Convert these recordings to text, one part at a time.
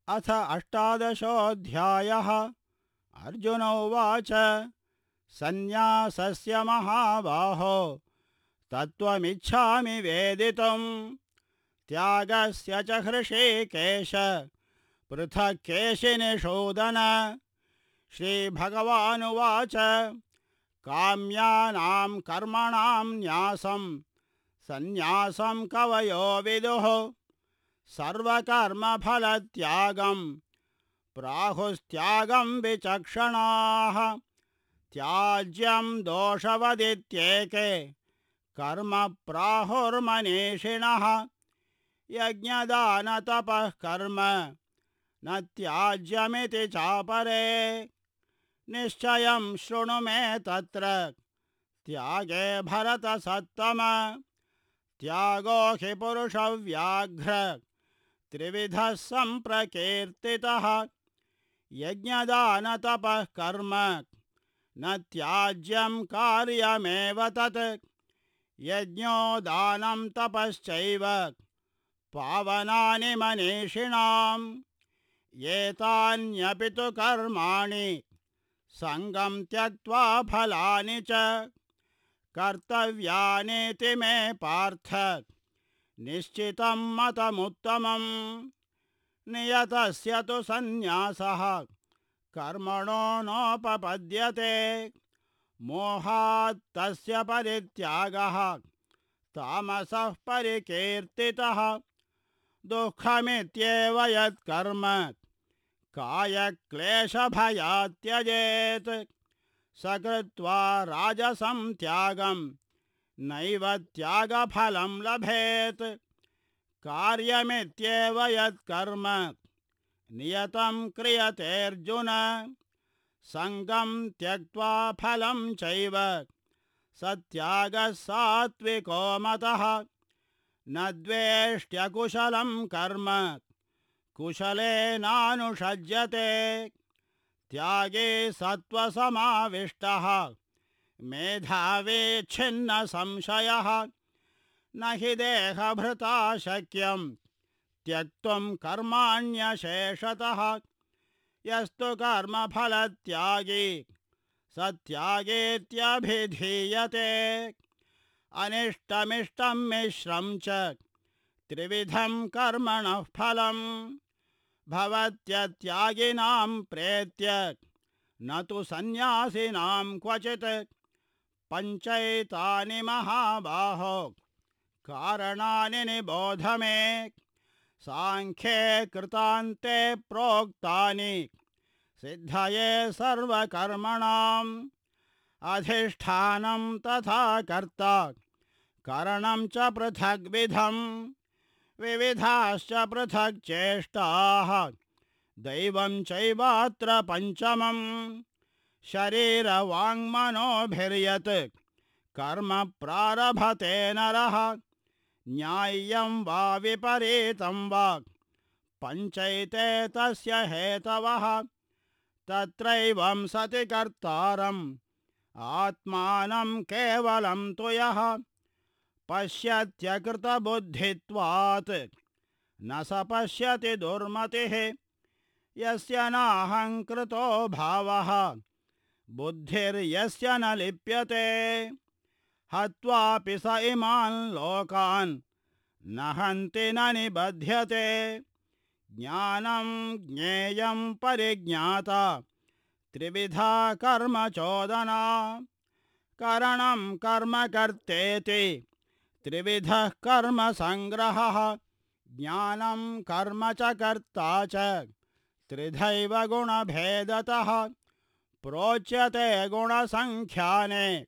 अथ अष्टादशोऽध्यायः। अर्जुन उवाच सन्न्यासस्य महाबाहो तत्त्वमिच्छामि वेदितुं त्यागस्य च हृषीकेश पृथक् केशिनिषूदन। श्रीभगवानुवाच काम्यानां कर्मणां न्यासं सन्न्यासं कवयो विदुः सर्वकर्मफलत्यागं प्राहुस्त्यागं विचक्षणाः। त्याज्यं दोषवदित्येके कर्म प्राहुर्मनीषिणः यज्ञदानतपः कर्म न त्याज्यमिति चापरे। निश्चयं शृणु मे तत्र त्यागे भरतसत्तम। त्यागो हि पुरुषव्याघ्र त्रिविधः सम्प्रकीर्तितः यज्ञदानतपः कर्म न त्याज्यं कार्यमेव तत्। यज्ञो दानं तपश्चैव पावनानि मनीषिणाम् एतान्यपि तु कर्माणि सङ्गं त्यक्त्वा फलानि च कर्तव्यानीति मे पार्थ निश्चितं मतमुत्तमम्। नियतस्य तु सन्न्यासः कर्मणो नोपपद्यते मोहात् तस्य परित्यागः तामसः परिकीर्तितः। दुःखमित्येव यत्कर्म कायक्लेशभयात् त्यजेत् स कृत्वा राजसं त्यागं नैव त्यागफलं लभेत्। कार्यमित्येव यत्कर्म नियतं क्रियतेऽर्जुन सङ्गं त्यक्त्वा फलं चैव स त्यागः सात्विको मतः। न द्वेष्ट्यकुशलं कर्म कुशलेनानुषज्यते त्यागे सत्त्वसमाविष्टः मेधावी छिन्नसंशयः। न हि देहभृता शक्यं त्यक्तुं कर्माण्यशेषतः यस्तु कर्मफलत्यागी स त्यागेत्यभिधीयते। अनिष्टमिष्टं मिश्रं च त्रिविधं कर्मणः फलं भवत्यत्यागिनां प्रेत्य न तु सन्न्यासिनां क्वचित्। पञ्चैतानि महाबाहो कारणानि निबोध मे साङ्ख्ये कृतान्ते प्रोक्तानि सिद्धये सर्वकर्मणाम्। अधिष्ठानं तथा कर्ता करणं च पृथग्विधं विविधाश्च पृथक् चेष्टाः दैवं चैवात्र पञ्चमम्। शरीरवाङ्मनोभिर्यत् कर्म प्रारभते नरः न्याय्यं वा विपरीतं वा पञ्चैते तस्य हेतवः। तत्रैवं सति कर्तारम् आत्मानं केवलं तु यः पश्यत्यकृतबुद्धित्वात् न स पश्यति दुर्मतिः। यस्य नाहङ्कृतो भावः बुद्धिर्यस्य न लिप्यते हत्वापि स इमान् लोकान् न हन्ति न निबध्यते। ज्ञानं ज्ञेयं परिज्ञाता त्रिविधा कर्म चोदना करणं कर्म कर्तेति त्रिविधः कर्म संग्रहः। ज्ञानं कर्म च कर्ता च त्रिधैव गुणभेदतः प्रोच्यते गुणसङ्ख्याने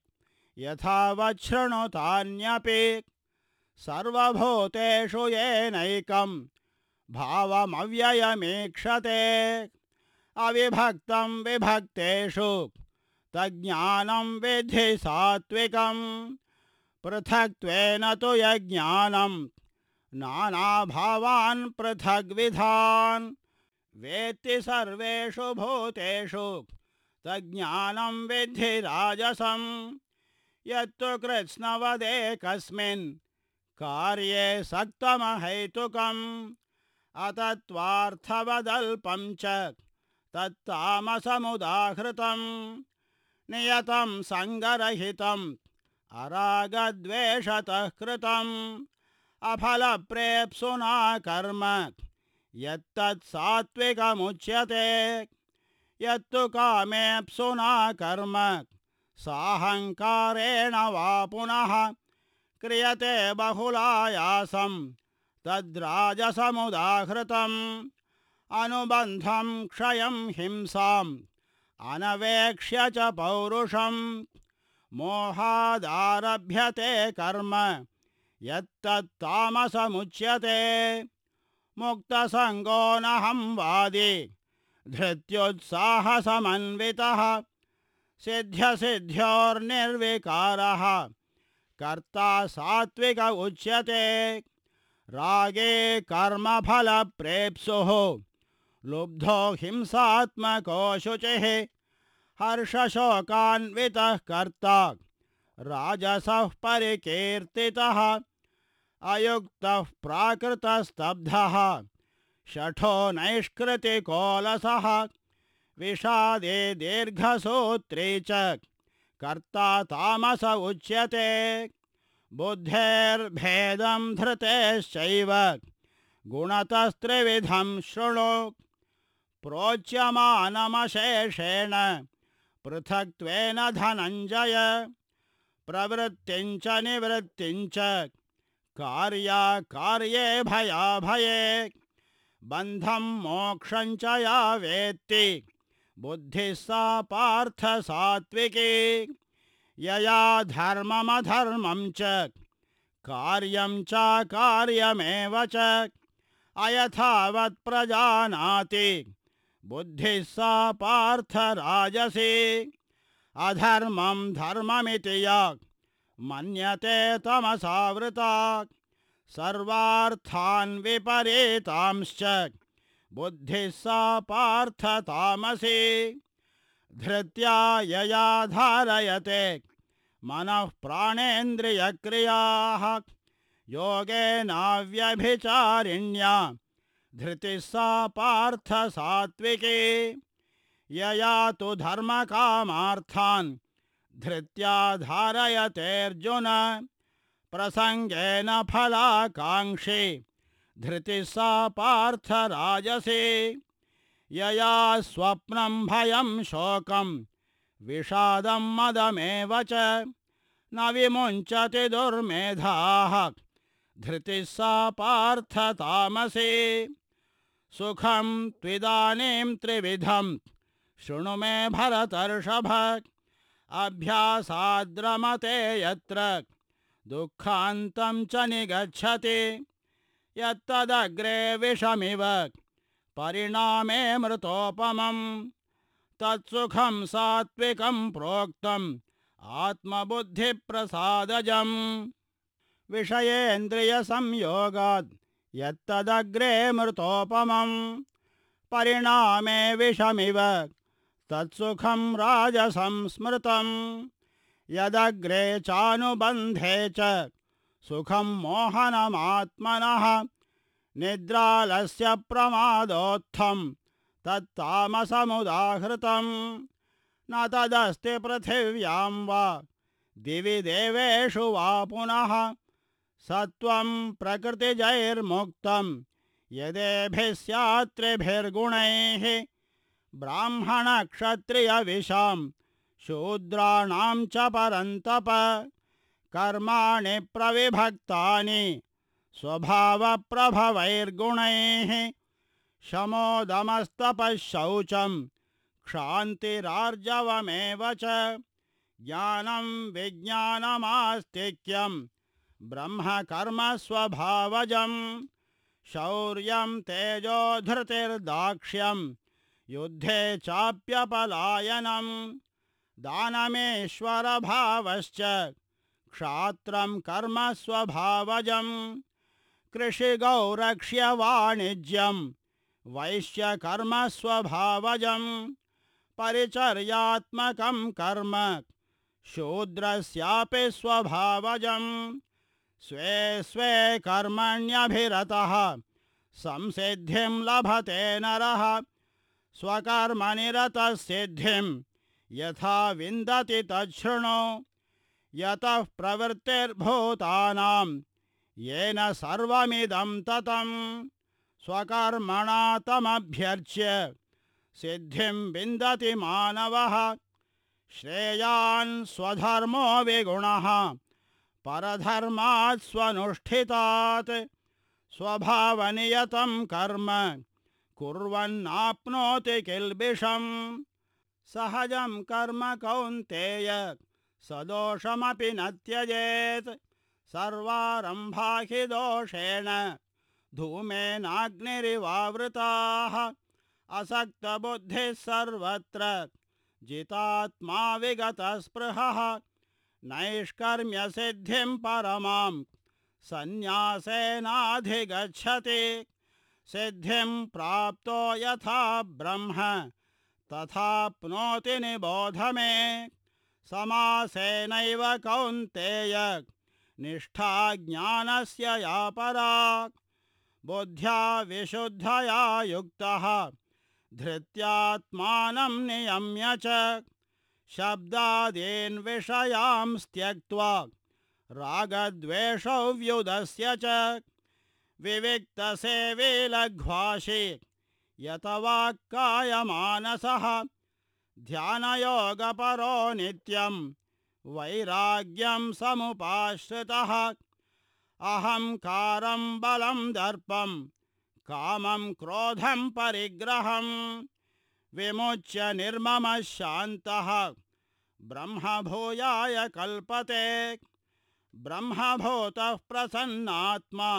यथावत् शृणुतान्यपि। सर्वभूतेषु येनैकं भावमव्ययमीक्षते अविभक्तं विभक्तेषु तज्ज्ञानं विद्धि सात्विकम्। पृथक्त्वेन तु यज्ञानं नानाभावान् पृथग्विधान् वेत्ति सर्वेषु भूतेषु तज्ज्ञानं विद्धि राजसं। यत्तु कृत्स्नवदेकस्मिन् कार्ये सक्तमहैतुकम् अतत्त्वार्थवदल्पं च तत्तामसमुदाहृतं नियतं सङ्गरहितं अरागद्वेषतः कृतम् अफलप्रेप्सुना कर्म यत्तत् सात्विकमुच्यते यत्तु कामेप्सुना कर्म साहंकारेण वा पुनः क्रियते बहुलायासं तद्राजसमुदाहृतम् अनुबन्धं क्षयं हिंसाम् अनवेक्ष्य च पौरुषं मोहादारभ्यते कर्म यत्तत्तामसमुच्यते मुक्तसङ्गो नहं वादी धृत्युत्साहसमन्वितः सिद्ध्यसिद्ध्योर्निर्विकारः कर्ता सात्विक उच्यते रागे कर्मफलप्रेप्सुः लुब्धो हिंसात्मको शुचिः हर्षशोकान्वितः कर्ता राजसः परिकीर्तितः अयुक्तः प्राकृतस्तब्धः शठो नैष्कृतिकोलसः विषादे दीर्घसूत्री च कर्ता तामस उच्यते बुद्धेर्भेदं धृतेश्चैव गुणतस्त्रिविधं शृणु प्रोच्यमानमशेषेण पृथक्त्वेन धनञ्जय प्रवृत्तिं च निवृत्तिं च कार्याकार्ये भयाभये बन्धं मोक्षं च या वेत्ति बुद्धिः सा पार्थ सात्विकी यया धर्ममधर्मं च कार्यं च कार्यमेव च अयथावत् प्रजानाति बुद्धिः सा पार्थ राजसी अधर्मं धर्ममिति या मन्यते तमसावृता सर्वार्थान् विपरीतांश्च बुद्धिः सा पार्थ तामसी धृत्या यया धारयते मनः प्राणेन्द्रियक्रियाः योगेनाव्यभिचारिण्या धृतिः सा पार्थ सात्विकी यया तु धर्मकामार्थान् धृत्या धारयतेऽर्जुन प्रसंगेन फलाकांक्षी धृतिः सा पार्थ राजसी यया स्वप्नं भयं शोकं विषादं मदमेव च न विमुञ्चति दुर्मेधाः धृतिः सा पार्थ तामसी सुखं त्विदानीं त्रिविधं शृणु मे भरतर्षभ अभ्यासाद्रमते यत्र दुःखान्तं च निगच्छति यत्तदग्रे विषमिव परिणामे मृतोपमं तत्सुखं सात्विकं प्रोक्तम् आत्मबुद्धिप्रसादजम् विषयेन्द्रियसंयोगात् यत्तदग्रे मृतोपमं परिणामे विषमिव तत्सुखं राजसं स्मृतं यदग्रे चानुबन्धे च सुखं मोहनमात्मनः निद्रालस्य प्रमादोत्थं तत्तामसमुदाहृतं न तदस्ति पृथिव्यां वा दिवि देवेषु वा पुनः सत्वं प्रकृतिजैर्मुक्तं यदेभिः स्यात् त्रिभिर्गुणैः ब्राह्मणक्षत्रियविशां शूद्राणां च परन्तप कर्माणि प्रविभक्तानि स्वभावप्रभवैर्गुणैः शमोदमस्तपः शौचं क्षान्तिरार्जवमेव च ज्ञानं विज्ञानमास्तिक्यं ब्रह्मकर्म स्वभावजं शौर्यं तेजो धृतिर्दाक्ष्यं युद्धे चाप्यपलायनं दानमेश्वरभावश्च क्षात्रं कर्म स्वभावजं कृषिगौरक्ष्यवाणिज्यं वैश्यकर्म स्वभावजं परिचर्यात्मकं कर्म शूद्रस्यापि स्वभावजं स्वे स्वे कर्मण्यभिरतः संसिद्धिं लभते नरः स्वकर्मणि रतः सिद्धिं यथा विन्दति तच्छृणु यतः प्रवृत्तिर्भूतानां येन सर्वमिदं ततं स्वकर्मणा तमभ्यर्च्य सिद्धिं विन्दति मानवः श्रेयान् स्वधर्मो विगुणः परधर्मात् स्वनुष्ठितात् स्वभावनियतं कर्म कुर्वन्नाप्नोति किल्बिषम् सहजं कर्म कौन्तेय सदोषमपि न त्यजेत् सर्वारम्भा हि दोषेण धूमेनाग्निरिवावृताः असक्तबुद्धिः सर्वत्र जितात्मा विगतस्पृहः नैष्कर्म्यसिद्धिं परमां सन्न्यासेनाधिगच्छति सिद्धिं प्राप्तो यथा ब्रह्म तथाप्नोति निबोध मे समासेनैव कौन्तेय निष्ठा ज्ञानस्य या परा बुद्ध्या विशुद्धया युक्तः धृत्यात्मानं नियम्य च शब्दादीन् विषयान् त्यक्त्वा रागद्वेषौ व्युदस्य च विविक्तसेवी लघ्वाशी यतवाक्कायमानसः ध्यानयोगपरो नित्यं वैराग्यं समुपाश्रितः अहंकारं बलं दर्पं कामं क्रोधं परिग्रहं विमुच्य निर्ममः शान्तः ब्रह्मभूयाय कल्पते ब्रह्मभूतः प्रसन्नात्मा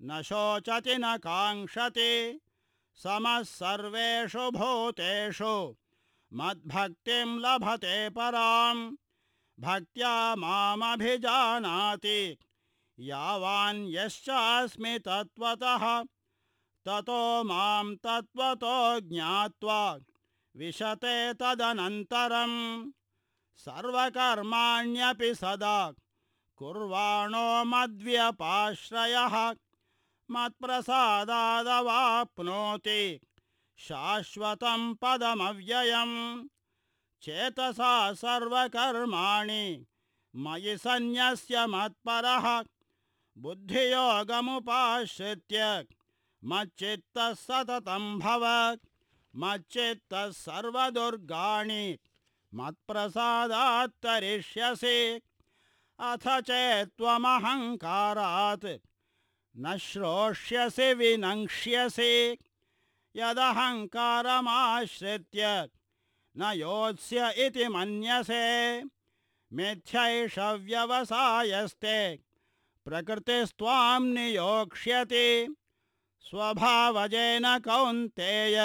न शोचति न काङ्क्षति समः सर्वेषु भूतेषु मद्भक्तिं लभते परां भक्त्या मामभिजानाति यावान् यश्चास्मि तत्त्वतः ततो मां तत्त्वतो ज्ञात्वा विशते तदनन्तरं सर्वकर्माण्यपि सदा कुर्वाणो मद्व्यपाश्रयः मत्प्रसादादवाप्नोति शाश्वतं पदमव्ययम् चेतसा सर्वकर्माणि मयि सन्न्यस्य मत्परः बुद्धियोगमुपाश्रित्य मच्चित्तः सततं भव मच्चित्तः सर्वदुर्गाणि मत्प्रसादात् तरिष्यसि अथ चेत्त्वमहङ्कारात् न श्रोष्यसि विनङ्क्ष्यसि यदहङ्कारमाश्रित्य न योत्स्य इति मन्यसे मिथ्यैष व्यवसायस्ते प्रकृतिस्त्वां नियोक्ष्यति स्वभावजेन कौन्तेय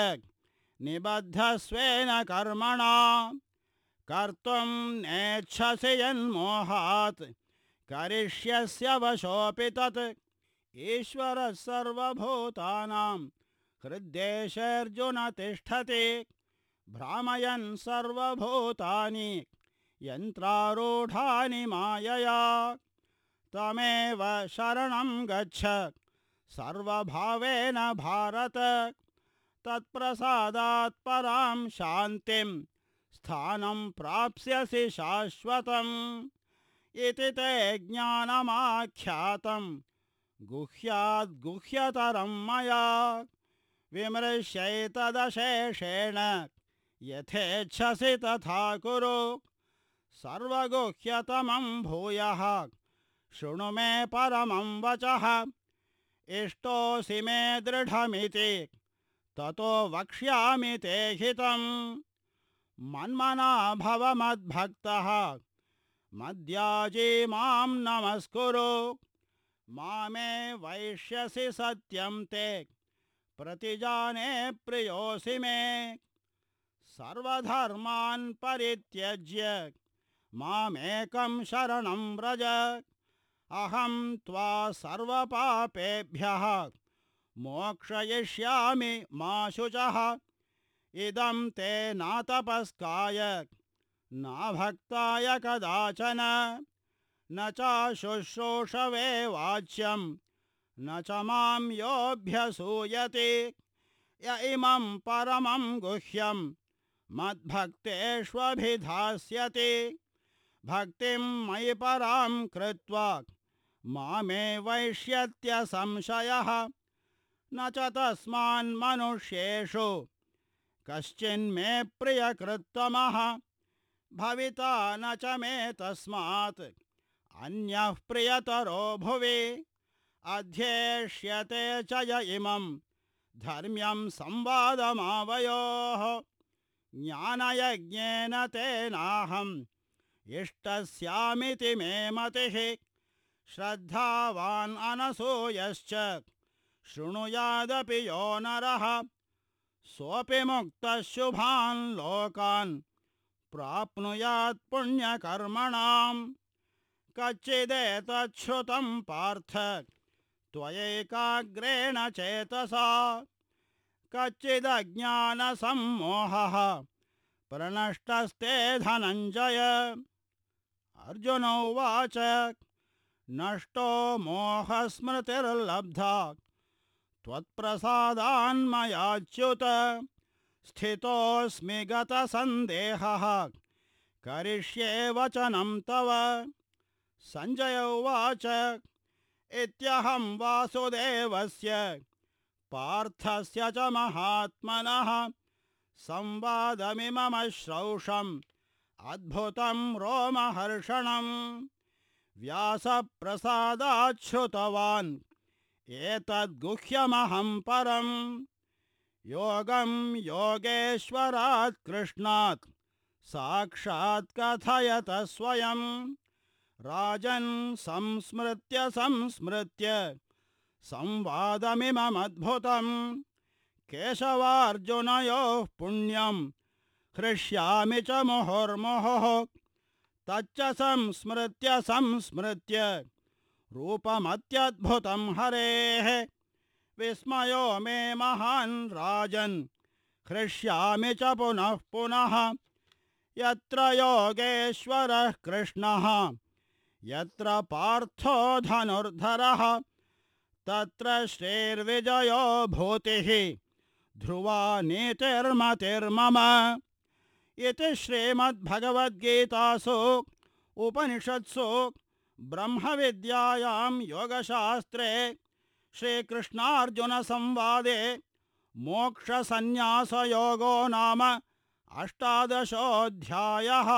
निबद्धस्वेन कर्मणा कर्तुं नेच्छसि यन्मोहात् करिष्यस्य वशोऽपि तत् ईश्वरः सर्वभूतानां हृद्देशेऽर्जुन तिष्ठति भ्रामयन् सर्वभूतानि यन्त्रारूढानि मायया तमेव शरणं गच्छ सर्वभावेन भारत तत्प्रसादात् परां शान्तिं स्थानं प्राप्स्यसि शाश्वतम् इति ते ज्ञानमाख्यातं गुह्याद् गुह्यतरं मया विमृश्यैतदशेषेण यथेच्छसि तथा कुरु सर्वगुह्यतमं भूयः शृणु मे परमं वचः इष्टोऽसि मे दृढमिति ततो वक्ष्यामि ते हितम् मन्मना भव मद्भक्तः मद्याजी मां नमस्कुरु मामे वैष्यसि सत्यं ते प्रतिजाने प्रियोऽसि मे सर्वधर्मान् परित्यज्य मामेकं शरणं व्रज अहं त्वा सर्वपापेभ्यः मोक्षयिष्यामि मा शुचः इदं ते नातपस्काय न भक्ताय कदाचन न च शुश्रूषवे वाच्यं न च मां योऽभ्यसूयते य इमं परमं गुह्यं मद्भक्तेष्वभिधास्यति भक्तिं मयि परां कृत्वा मामे वैष्यत्यसंशयः न च तस्मान्मनुष्येषु कश्चिन्मे प्रियकृत्तमः भविता न च मे तस्मात् अन्यः प्रियतरो भुवि अध्येष्यते च य इमं धर्म्यं संवादमावयोः ज्ञानयज्ञेन तेनाहम् इष्टस्यामिति मे मतिः श्रद्धावान् अनसूयश्च शृणुयादपि यो नरः सोऽपि मुक्तः शुभान् लोकान् प्राप्नुयात् पुण्यकर्मणाम् कच्चिदेतच्छ्रुतं पार्थ त्वयैकाग्रेण चेतसा कच्चिदज्ञानसम्मोहः प्रणष्टस्ते धनञ्जय अर्जुन उवाच नष्टो मोहस्मृतिर्लब्धा त्वत्प्रसादान्मयाच्युत स्थितोऽस्मि गतसन्देहः करिष्ये वचनं तव सञ्जय उवाच इत्यहं वासुदेवस्य पार्थस्य च महात्मनः संवादमिममश्रौषम् अद्भुतं रोमहर्षणं व्यासप्रसादाच्छ्रुतवान् एतद्गुह्यमहं परं योगं योगेश्वरात् कृष्णात् साक्षात् कथयत स्वयं राजन् संस्मृत्य संवादमिममद्भुतं केशवार्जुनयोः पुण्यं हृष्यामि च मुहुर्मुहुः तच्च संस्मृत्य रूपमत्यद्भुतं हरेः विस्मयो मे महान् राजन् हृष्यामि च पुनः पुनः यत्र योगेश्वरः कृष्णः यत्र पार्थो धनुर्धरः तत्र श्रीर्विजयो भूतिः ध्रुवा नीतिर्मतिर्मम इति श्रीमद्भगवद्गीतासु उपनिषत्सु ब्रह्मविद्यायां योगशास्त्रे श्रीकृष्णार्जुनसंवादे मोक्षसंन्यासयोगो नाम 18 अध्यायः।